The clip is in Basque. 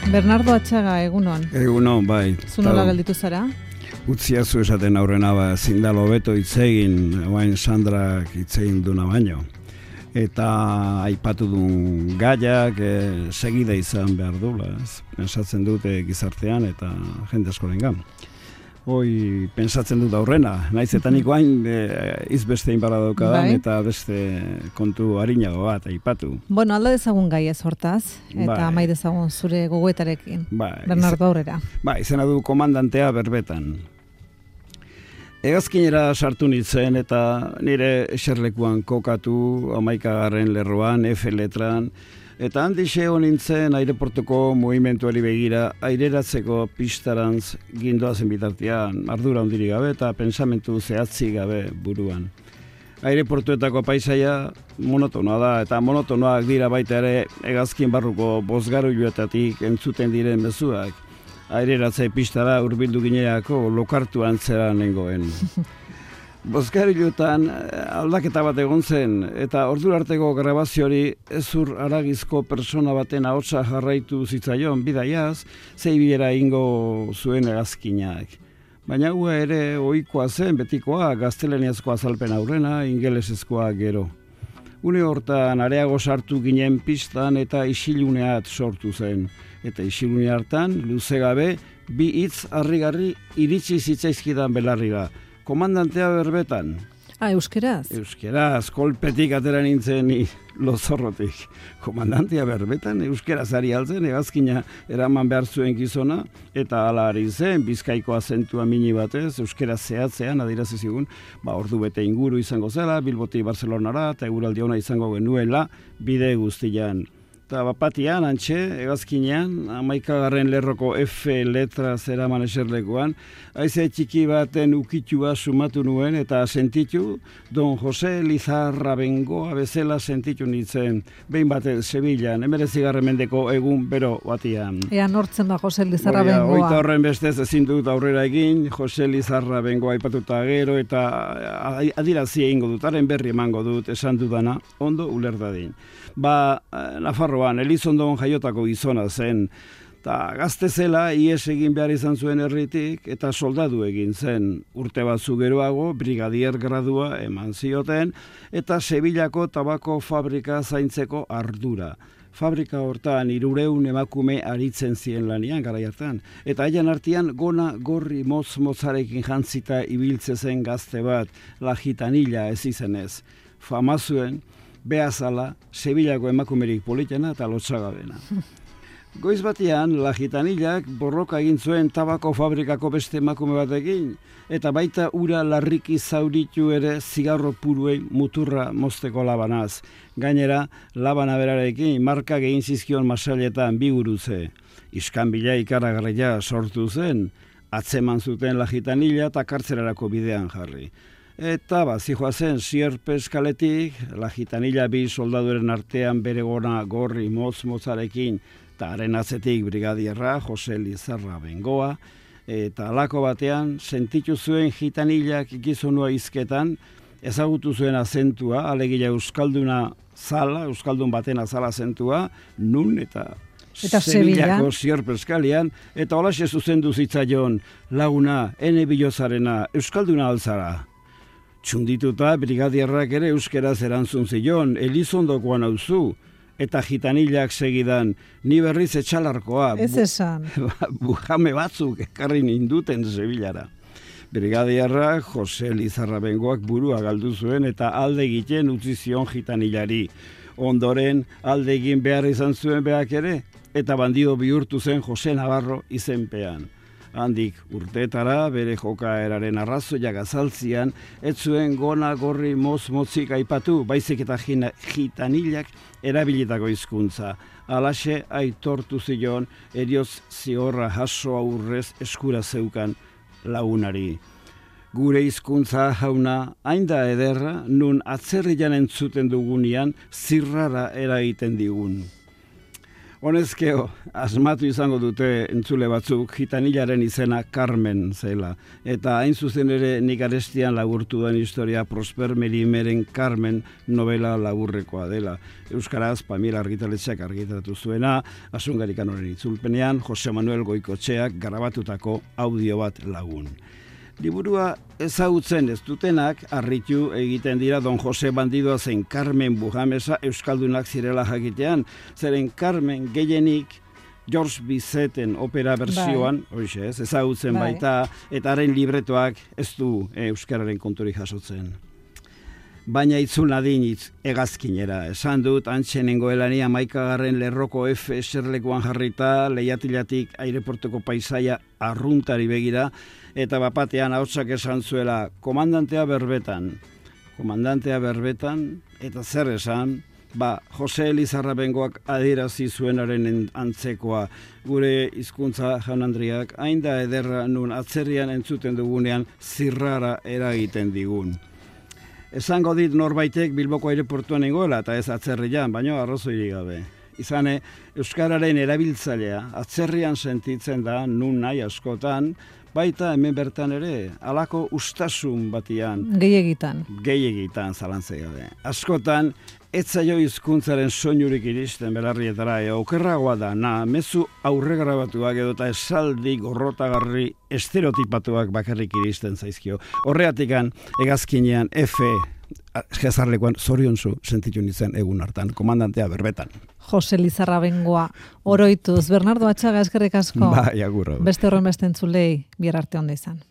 Bernardo Atxaga, egunon. Egunon, bai. Zu nola gelditu zara? Utziazu esaten aurrena, zindalo beto itzegin, oain Sandrak itzegin duna baino. Eta aipatu duen gaiak segida izan behar dula. Pensatzen dute gizartean eta jende askorengan. Hoi, pensatzen dut aurrena, naiz eta nik hain izbeste inbara daukadan eta beste kontu harinago bat aipatu. Bueno, alda dezagun gai ez hortaz, eta amai dezagun zure gogoetarekin, Bernardo aurrera. Izena du komandantea berbetan. Hegazkinera sartu nintzen eta nire eserlekuan kokatu 11. lerroan, F letran, eta handixe nintzen aireportuko mugimenduari begira aireratzeko pistarantz gindoazen bitartean, ardura handirik gabe eta pensamentu zehatzi gabe buruan. Aireportuetako paisaia monotonoa da eta monotonoak dira baita ere hegazkin barruko bozgaruiluetatik entzuten diren mezuak. Aireratze pistara hurbildu gineako lokartu antzera nengoen. Bozgariluetan aldaketa bat egon zen, eta ordura arteko grabaziori ezur aragizko persona baten ahotsa jarraitu zitzaion bidaiaz, zeibiera ingo zuen hegazkinak. Baina hua ere ohikoa zen betikoa, gaztelaniazko azalpen aurrena, ingelesezkoa gero. Une hortan areago sartu ginen pistan eta isiluneat sortu zen. Eta isilune hartan, luze gabe, bi hitz harrigarri iritsi zitzaizkidan belarrira. Komandantea berbetan. Euskeraz? Euskeraz, kolpetik atera nintzen lozorrotik. Komandantea berbetan, euskeraz ari altzen, hegazkina eraman behar zuen gizona, eta hala ari zen, Bizkaiko azentua mini batez, euskeraz zehatzean, adirazi zigun, ordu bete inguru izango zela, Bilbotik Barcelonara, eta eguraldi ona izango genuela, bide guztian. Eta bapatian, antxe, hegazkinean, 11. lerroko F letra zeraman eserlekuan, haize txiki baten ukitua sumatu nuen eta sentitu, Don Jose Lizarra Bengoa bezala sentitu nintzen, behin batez Sevillan, 19. mendeko egun bero batian. Ea nortzen da Jose Lizarra Bengoa. Oita horren bestez ezin dut aurrera egin, Jose Lizarra Bengoa aipatuta gero eta adirazi egingo dut, haren berri emango dut, esan dudana, ondo ulerdadin. Nafarroan, Elizondon jaiotako gizona zen, eta gazte zela ies egin behar izan zuen herritik, eta soldadu egin zen. Urte batzu geroago, brigadier gradua eman zioten, eta Sevillako tabako fabrika zaintzeko ardura. Fabrika hortan 300 emakume aritzen ziren lanian garai hartan, eta haien artean gona gorri motz-motzarekin jantzita ibiltze zen gazte bat, La Gitanilla ez izenez. Fama zuen, behazala, Sevillako emakumerik politena eta lotsagabena. Goiz batean, La Gitanillak borroka egin zuen tabako fabrikako beste emakume batekin, eta baita ura larriki zauritu ere zigarro puruei muturra mozteko labanaz. Gainera, labana berarekin marka egin zizkion masailetan bi gurutze. Iskanbila ikaragarria sortu zen, atzeman zuten La Gitanilla eta kartzelarako bidean jarri. Eta zijoa zen Sierpes kaletik, La Gitanilla bi soldaduren artean bere gona gorri motz-motzarekin, eta haren atzetik brigadierra, Jose Lizarra Bengoa, eta alako batean sentitu zuen Gitanillak gizonua hizketan, ezagutu zuen azentua, alegia euskalduna zala, euskaldun baten azala azentua, nun eta Sevillako Sierpes kalean, eta holaxe zuzendu zitzaion laguna, ene bilozarena, euskalduna altzara. Txundituta, brigadierrak ere euskeraz erantzun zion, Elizondokoan auzu, eta Gitanillak segidan, ni berriz etxalarkoa. Ez esan. Bujame batzuk ekarri ninduten Sevillara. Brigadierrak Jose Lizarra Bengoak burua galdu zuen eta alde egiten utzi zion Gitanillari. Ondoren alde egin behar izan zuen beak ere, eta bandido bihurtu zen Jose Navarro izenpean. Handik urteetara bere jokaeraren arrazoiak azaltzian, ez zuen gona gorri motz-motzik aipatu, baizik eta Gitanillak erabilitako hizkuntza. Alaxe aitortu zion erioz ziorra jaso aurrez eskura zeukan lagunari. Gure hizkuntza jauna hain da ederra, nun atzerrian entzuten dugunean zirrara eragiten digun. Honezkeo, asmatu izango dute entzule batzuk, gitanilaren izena Carmen zela. Eta hain zuzen ere nik arestian laburtu den historia Prosper Merimeren Carmen novela laburrekoa dela. Euskaraz, Pamela argitaletxeak argitaratu zuena, Asungarikanoren itzulpenean, Jose Manuel Goikotxeak grabatutako audio bat lagun. Liburua ezagutzen ez dutenak harritu egiten dira Don Jose Bandidoa zein Carmen Bujamesa euskaldunak zirela jakitean, zeren Carmen gehienik George Bizeten opera bersioan, ezagutzen baita, eta haren libretoak ez du euskararen konturik jasotzen. Baina itzul nadin hegazkinera. Esan dut, antxenengoelani 11. lerroko F eserlekuan jarrita, leiatilatik aireportuko paisaia arruntari begira, eta bapatean ahotsak esan zuela, komandantea berbetan, eta zer esan, Jose Elizarra Bengoak adierazi zuenaren antzekoa, gure hizkuntza jaun Andriak, hain da ederra nun atzerrian entzuten dugunean zirrara eragiten digun. Esango dit norbaitek Bilboko aireportuan nengoela eta ez atzerrian, baina arrazoirik gabe. Izane, euskararen erabiltzailea atzerrian sentitzen da nun nahi askotan, baita hemen bertan ere, halako ustasun batian. Gehiegitan, zalantzai gabe. Askotan, ez zaio hizkuntzaren soinurik iristen belarrietara, okerragoa da, mezu aurregrabatuak edota esaldi gorrotagarri estereotipatuak bakarrik iristen zaizkio. Horreatikan, hegazkinean, jezarlekuan zoriontsu sentitu nintzen egun hartan, komandantea berbetan. Jose Lizarra Bengoa, oroituz, Bernardo Atxaga eskerrik asko. Agurro. Beste horren beste entzulei, bihar arte onda izan.